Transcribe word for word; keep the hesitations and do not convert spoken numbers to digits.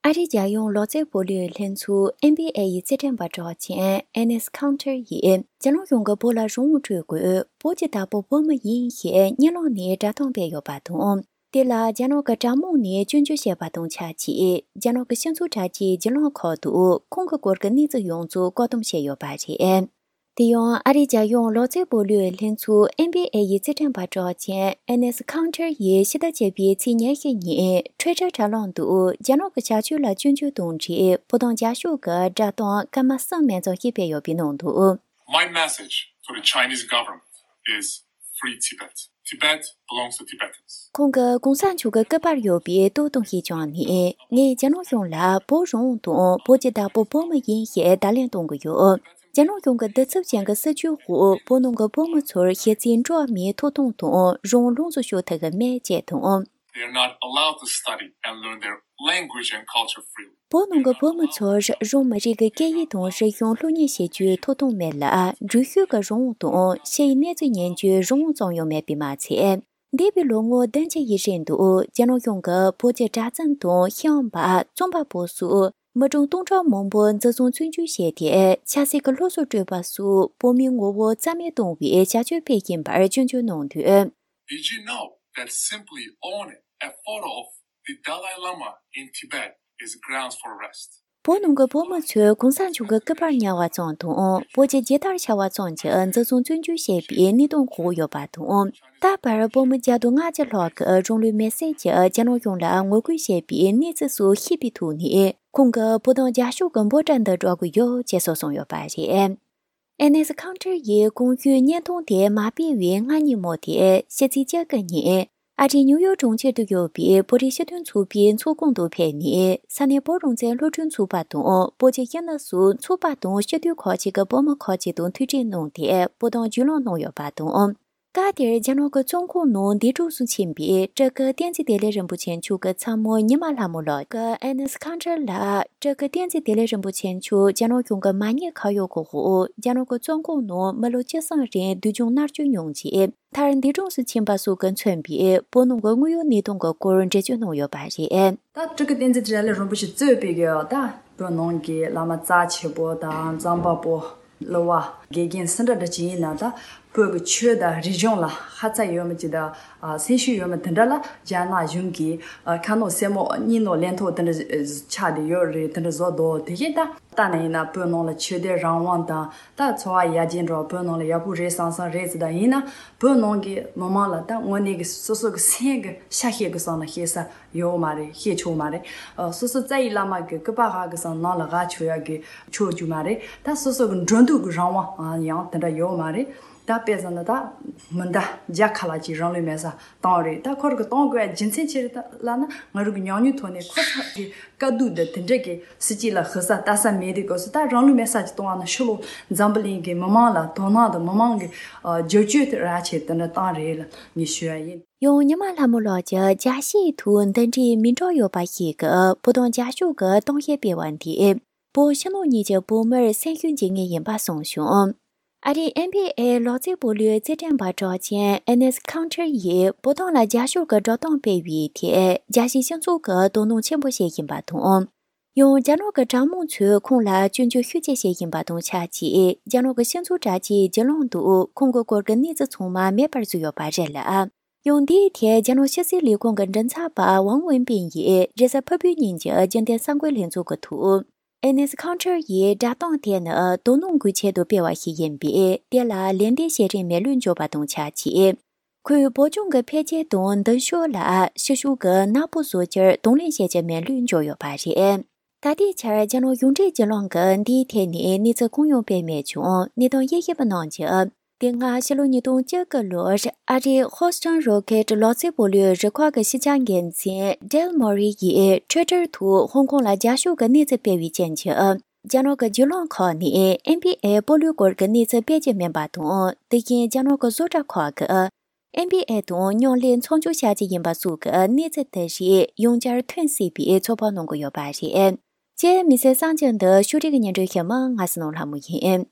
ཨ་རིའི་རྒྱལ་ཡོངས་ལོ་ཙཱའི་སྤོ་ལོའི་ལྷན་ཚོགས་ཨེན་བྷི་ཨེ་ཡི་རྩེད་འགྲན་པ་གྲགས་ཅན་ཨེ་ནེས་ཁའུན་ཊར་ཡིས་རྒྱ་ནག་གཞུང་གིས་བོད་ལ་རང་དབང་སྤྲོད་དགོས། བོད་ཀྱི་བདག་པོ་བོད་མི་ཡིན་ཞེས་གཉིད་ལམ་ནས་བསྒྲགས་གཏམ་སྤེལ་ཡོད་པ་དང་། དེ་ལ་རྒྱ་ནག་གི་དྲ་དམངས་ནས་སྐྱོན་བརྗོད་བྱས་པ་དང་ཆབས་ཅིག་རྒྱ་ནག་གི་སྤྱི་ཚོགས་དྲ་རྒྱའི་བརྒྱུད་ལམ་ཁག་ཏུ་ཁོང་གི་སྐོར་གྱི་གནས་ཚུལ་ཡོངས་རྫོགས་བཀག་སྡོམ་བྱས་ཡོད་པ་རེད། དེ་ཡང་ཨ་རིའི་རྒྱལ་ཡོངས་ལོ་ཙཱའི་སྤོ་ལོའི་ལྷན་ཚོགས་ཨེན་བྷི་ཨེ་ཡི་རྩེད་འགྲན་པ་གྲགས་ཅན་ཨེ་ནེས་ཁའུན་ཊར་ཡིས་ཕྱི་ཟླ་བཅུ་པའི་ཚེས་ཉེར་བཞི་ཉིན་ཊུ་ཝི་ཊར་དྲ་ལམ་དུ་རྒྱ་ནག་གི་བྱ་སྤྱོད་ལ་སྐྱོན་བརྗོད་དང་འབྲེལ་བོད་དོན་རྒྱབ་སྐྱོར་གྱི་བསྒྲགས་གཏམ་སྐར་མ་གསུམ་མན་ཚོགས་ཤིག་སྤེལ་ཡོད་པའི་ནང་དུ། My message to the Chinese government is free Tibet. Tibet belongs to Tibetans. ཁོང་གིས་གོང་ས་མཆོག་གི་སྐུ་པར་ཡོད་པའི་སྟོད་ཐུང་ཞིག་བཀྱགས་ནས། ངས་རྒྱ་ནག་གཞུང་ལ་བོད་རང་དབང་དང་བོད་ཀྱི་བདག་པོ་བོད་མི་ཡིན་ཞེས་བརྡ་ལན་གཏོང་གི་ཡོད། རྒྱ་ནག་གཞུང་གི་གདུག་རྩུབ་ཅན་གྱི་སྲིད་བྱུས་འོག་བོད་ནང་གི་བོད་མི་ཚོར་གཞི་རྩའི་འགྲོ་བ་མིའི་ཐོབ་ཐང་དང་རང་དབང་ལོངས་སུ་སྤྱོད་ཐུབ་ཀྱི་མེད་ཅེས་དང་། They are not allowed to study and learn their language and culture freely. བོད་ནང་གི་བོད་མི་ཚོར་རང་མི་རིགས་ཀྱི་སྐད་ཡིག་དང་རིག་གཞུང་སློབ་གཉེར་བྱེད་རྒྱུའི་ཐོབ་ཐང་མེད་ལ། འགྲུལ་བཞུད་ཀྱི་རང་དབང་དང་ཕྱིའི་གནས་ཚུལ་ཉན་རྒྱུའི་རང་དབང་ཙམ་ཡང་མེད་པས་མ་ཚད། འདས་པའི་ལོ་ངོ་བདུན་ཅུ་ཡི་རིང་དུ་རྒྱ་ནག་གཞུང་གིས་བོད་ཀྱི་གྲྭ་བཙུན་དང་ཤེས་ཡོན་པ། རྩོམ་པ་པོ་སོགས་མི་གྲངས་སྟོང་ཕྲག་མང་པོ་འཛིན་བཟུང་བཙོན་འཇུག་བྱས་ཏེ། ཆབ་སྲིད་ཀྱི་སློབ་གསོ་སྤྲོད་པ་སོགས་བོད་མིའི་ངོ་བོ་རྩ་མེད་གཏོང་བའི་བྱ་སྤྱོད་སྤེལ་བཞིན་པར་སྐྱོན་བརྗོད་གནང་དོན། Did you know that simply owning a photo of the Dalai Lama in Tibet is grounds for arrest? བོད་ནང་གི་བོད་མི་ཚོས་གོང་ས་མཆོག་གི་སྐུ་པར་ཉར་བ་ཙམ་དང་། བོད་ཀྱི་རྒྱལ་དར་འཕྱར་བ་ཙམ་གྱིས་འཛིན་བཟུང་བཙོན་འཇུག་བྱས་པའི་གནས་སྟངས་འཁོད་ཡོད་པ་དང་། ད་བར་བོད་མི་བརྒྱ་དང་ལྔ་བཅུ་ལྷག་གིས་རང་ལུས་མེར་སྲེག་གིས་རྒྱ་ནག་གཞུང་ལ་ངོ་རྒོལ་བྱས་པའི་གནས་ཚུལ་སོགས་ཤེས་པའི་ཐོག་ནས། ཁོང་གིས་བོད་དོན་རྒྱབ་སྐྱོར་གྱི་འབོད་སྒྲ་འདི་སྒྲོག་གི་ཡོད་ཅེས་སོགས་གསུངས་ཡོད་པ་རེད། ཨེ་ནེས་ཁའུན་ཊར་ཡིས་གོང་ཞུས་བརྙན་ཐུང་དེ་མ་སྤེལ་བའི་སྔ་ཉིན་མོ་དེ་ཕྱི་ཚེས་བཅུ་དགུ་ཉིན། ཨ་རིའི་ནིའུ་ཡོག་གྲོང་ཁྱེར་དུ་ཡོད་པའི་བོད་རིགས་སྤྱི་མཐུན་ཚོགས་པའི་ཚོགས་ཁང་དུ་ཕེབས་ནས། ས་གནས་བོད་རང་བཙན་སློབ་ཕྲུག་ཚོགས་པ་དང་། བོད་ཀྱི་སྤྱི་ནོར་སོགས་ཚོགས་པ་དང་སྤྱི་འཐུས་ཁག་ཅིག་གི་བོད་མི་ཁག་ཅིག་དང་ཐུག་འཕྲད་གནང་སྟེ། བོད་དོན་བརྒྱུད་ལམ་གནང་ཡོད་པ་དང་། སྐབས་དེར་རྒྱ་ནག་གི་བཙོན་ཁང་ནང་འདས་གྲོངས་སུ་ཕྱིན་པའི་སྤྲུལ་སྐུ་བསྟན་འཛིན་བདེ་ལེགས་རིན་པོ་ཆེ་མཆོག་གི་ཚ་མོ་ཉི་མ་ལྷ་མོ་ལགས་ཀྱིས་ཨེ་ནེས་ཁའུན་ཊར་ལ། སྤྲུལ་སྐུ་བསྟན་འཛིན་བདེ་ལེགས་རིན་པོ་ཆེ་མཆོག་རྒྱ་ནག་གཞུང་གི་མ་ཉེས་ཁ་གཡོག་གི་འོག་རྒྱ་ནག་གི་བཙོན་ཁང་ནང་མི་ལོ་བཅུ་གསུམ་རིང་སྡུག་སྦྱོང་མནར་གཅོད་མྱོང་རྗེས། མཐར་འདས་གྲོངས་སུ་ཕྱིན་པ་སོགས་ཀྱིས་མཚོན་པའི་བོད་ནང་གི་དངོས་ཡོད་གནས་སྟངས་ཀྱི་སྐོར་འགྲེལ་བརྗོད་གནང་ཡོད་པ་རེད། ད་སྤྲུལ་སྐུ་བསྟན་འཛིན་བདེ་ལེགས་རིན་པོ་ཆེ་གཙོས་པའི་གི་ད་བོད་ནང་གི་བླ་མ་རྩ་ཆེ་པོ་དང་རྩོམ་པ་པོ། གླུ་བ། དགེ་རྒན་སུ་འདྲ་འདྲ་ཅིག་ཡིན་ན། ད་བོད་ཀྱི་ཆོས་དང་རིག་གཞུང་ལ་ཧ་ཚ་ཡོད་མི་ཅིག་དང་། ཨ། སེམས་ཤུགས་ཡོད་མི་དེ་འདྲ་ལ་རྒྱ་ནག་གཞུང་གིས། ཨ། ཁ་ནང་སེན་མོ་སྙིང་ནང་ལན་ཐོགས་དེ་འདྲ་ཆགས་བསྡད་ཡོད་རེད། དེ་འདྲ་བཟོ་འདུག་དེ་བཞིན་ད་ལྟ་ན་ཡིན་ན་བོད་ནང་ལ་ཆོས་དད་རང་དབང་དང་། ད་འཚོ་བ་ཡར་རྒྱས་འགྲོ་བ་བོད་ནང་ལ་ཡག་པོ་རེད་བསམ་བསམ་རེད་ཟེར། ད་ཡིན་ན་བོད་ནང་གི་མི་མང་ལ་ད་དངོས་གནས་ཀྱི་སོ་སོ་གི་སེམས་ཀྱི་ཤ་ཤེད་ཀྱི་སོང་ན་ཤེས་ས་ཡོད་མ་རེད། ཤེས་ཆོག་མ་རེད། ཨ། སོ་སོ་རྩ་བའི་བླ་མ་གི་སྐུ་པར་ཧ་གི་སང་ནང་ལ་ཧ་ཆོག་ཡག་གི་ཆོག་རྒྱུ་མ་རེད། ད་སོ་སོ་གི་འགྲོ་འདུག་གི་རང་དབང་ཡང་དེ་འདྲ་ཡོད་མ་རེད། ད་དཔེ་བཞག་ན་ད་མི་ཟླ་བརྒྱ་ཁ་ལ་ཅིག་རང་ལུས་མེར་སྲེག་བཏང་རེད། ད་ཁོ་རང་གི་གཏོང་དགོས་ཡག་རྒྱུ་མཚན་ཅི་རེད་ལབ་ན། ང་རང་གི་ཉམས་མྱོང་ཐོག་ནས་ཁོ་ཚོ་གི་དཀའ་སྡུག་འདི་དེ་འདྲ་གི་སྲིད་སྤྱི་ལ་ཧུར་ས་ལྟ་ས་མེད་དུས་སྐབས་སུ། ད་རང་ལུས་མེར་སྲེག་ཅིག་གཏོང་བ་ན་ཕྱི་ལོགས་འཛམ་བུ་གླིང་གི་མི་མང་ལ་དོ་སྣང་དང་མི་མང་གི། ཨ། རྒྱབ་སྐྱོར་དེ་རག་ཆེད་དེ་འདྲ་བཏང་རེད་ལ་ངས་ཞུ་ཡ་ཡིན། ཡང་ཉི་མ་ལྷ་མོ་ལགས་ཀྱིས་རྒྱལ་སྤྱིའི་ཐོག་འདི་འདྲའི་མིང་གྲགས་ཡོད་པ་ཞིག་གིས་བོད་དོན་རྒྱབ་སྐྱོར་གྱི་གཏམ་བཤད་སྤེལ་བ་འདིས་བོད་ཕྱི་ནང་གཉིས་ཀྱི་བོད་མིར་སེམས་ཤུགས་འཇལ་ངེས་ཡིན་པ་གསུངས་བྱུང་། ཨ་རིའི་ཨེན་བྷི་ཨེ་ལོ་ཙཱའི་སྤོ་ལོའི་རྩེད་འགྲན་པ་གྲགས་ཅན་ཨེ་ནེས་ཁའུན་ཊར་ཡིས་བོད་དོན་ལ་རྒྱབ་སྐྱོར་གྱི་བསྒྲགས་གཏམ་སྤེལ་བའི་ཐད། རྒྱལ་སྤྱིའི་སྤྱི་ཚོགས་ཀྱིས་དོ་སྣང་ཆེན་པོ་བྱེད་བཞིན་པ་དང་། ཡང་རྒྱ་ནག་གི་དྲ་དམངས་ཚོས་ཁོང་ལ་སྐྱོན་བརྗོད་ཤུགས་ཆེ་བྱེད་བཞིན་པ་དང་ཆབས་ཅིག་རྒྱ་ནག་གི་སྤྱི་ཚོགས་དྲ་རྒྱའི་བརྒྱུད་ལམ་དུ་ཁོང་གི་སྐོར་གྱི་གནས་ཚུལ་ཚང་མ་མེད་པར་བཟོས་ཡོད་པ་རེད་ལ། ཡང་འདིའི་ཐད་རྒྱ་ནག་ཕྱི་སྲིད་ལས་ཁུངས་ཀྱི་མགྲིན་ཚབ་པ་ཝང་ཝེན་པིན་ཡིས་རེས་གཟའ་ཕུར་བུའི་ཉིན་གྱི་རྒྱུན་ལྡན་གསར་འགོད་ལྷན་ཚོགས་ཀྱི་ཐོག་ཨེ་ནེས་ཁའུན་ཊར་ཡིས་བསྒྲགས་གཏམ་དེ་ནི་དོ་སྣང་དགོས་ཆེད་དུ་སྤེལ་བ་ཞིག་ཡིན་པས། དེ་ལ་ལན་འདེབས་བྱེད་རིང་མེ་ལུགས་འཇོག་པ་དང་ཆབས་ཅིག་ཁོས་བོད་ལྗོངས་ཀྱི་འཕེལ་རྒྱས་དང་མདུན་ཕྱོགས་ལ་ཕྱི་ཕྱོགས་ཀྱིས་ནག་པོ་བཟོ་རྒྱུར་གདོང་ལེན་བྱེད་ཀྱི་མེ་ལུགས་འཇོག་ཡོད་པ་རེད། ད་ལྟའི་ཆར་རྒྱ་ནག་གཞུང་འབྲེལ་བརྒྱུད་ལམ་གྱིས་འདིའི་ཐད་ནས་གནས་ཚུལ་གང་ཡང་སྤེལ་མེད་ཀྱང་། གནས་སྟངས་དབྱེ་ཞིབ་པ་རྣམས་ཀྱིས། དེ་སྔ་ཕྱི་ལོ་ཉིས་སྟོང་བཅུ་དགུ་ལོར་ཨ་རིའི་ཧོ་སི་ཊོན་རོ་ཀེ་ཊི་ལོ་ཙཱའི་སྤོ་ལོའི་རུ་ཁག་གི་སྤྱི་ཁྱབ་འགན་འཛིན་ཌེལ་མོ་རི་ཡིས་ཊུ་ཝི་ཊར་ཐོག་ཧོང་ཀོང་ལ་རྒྱབ་སྐྱོར་གྱི་གནས་ཚུལ་སྤེལ་བའི་རྐྱེན་གྱིས། རྒྱ་ནག་གི་བརྒྱུད་ལམ་ཁག་ནས་ཨེན་བྷི་ཨེ་སྤོ་ལོའི་སྐོར་གྱི་གནས་ཚུལ་སྤེལ་རྒྱུ་མིན་པ་དང་། དེ་བཞིན་རྒྱ་ནག་གི་བཟོ་གྲྭ་ཁག་གིས་ཨེན་བྷི་ཨེ་དང་མཉམ་ལས་ཚོགས་ཆུང་བྱ་རྒྱུ་ཡིན་པ་སོགས་ཀྱི་གནས་ཚུལ་དེ་རིགས་ཡང་བསྐྱར་ཐོན་སྲིད་པའི་ཚོད་དཔག་གནང་གི་ཡོད་པ་རེད། ཅེས་མི་ཚེ་གསར་འགྱུར་འདི་ཕྱོགས་སྒྲིག་གི་སྙན་སྒྲོན་ཞུ་མི་ང་སྲིད་ནོར་ལྷ་མོ་ཡིན།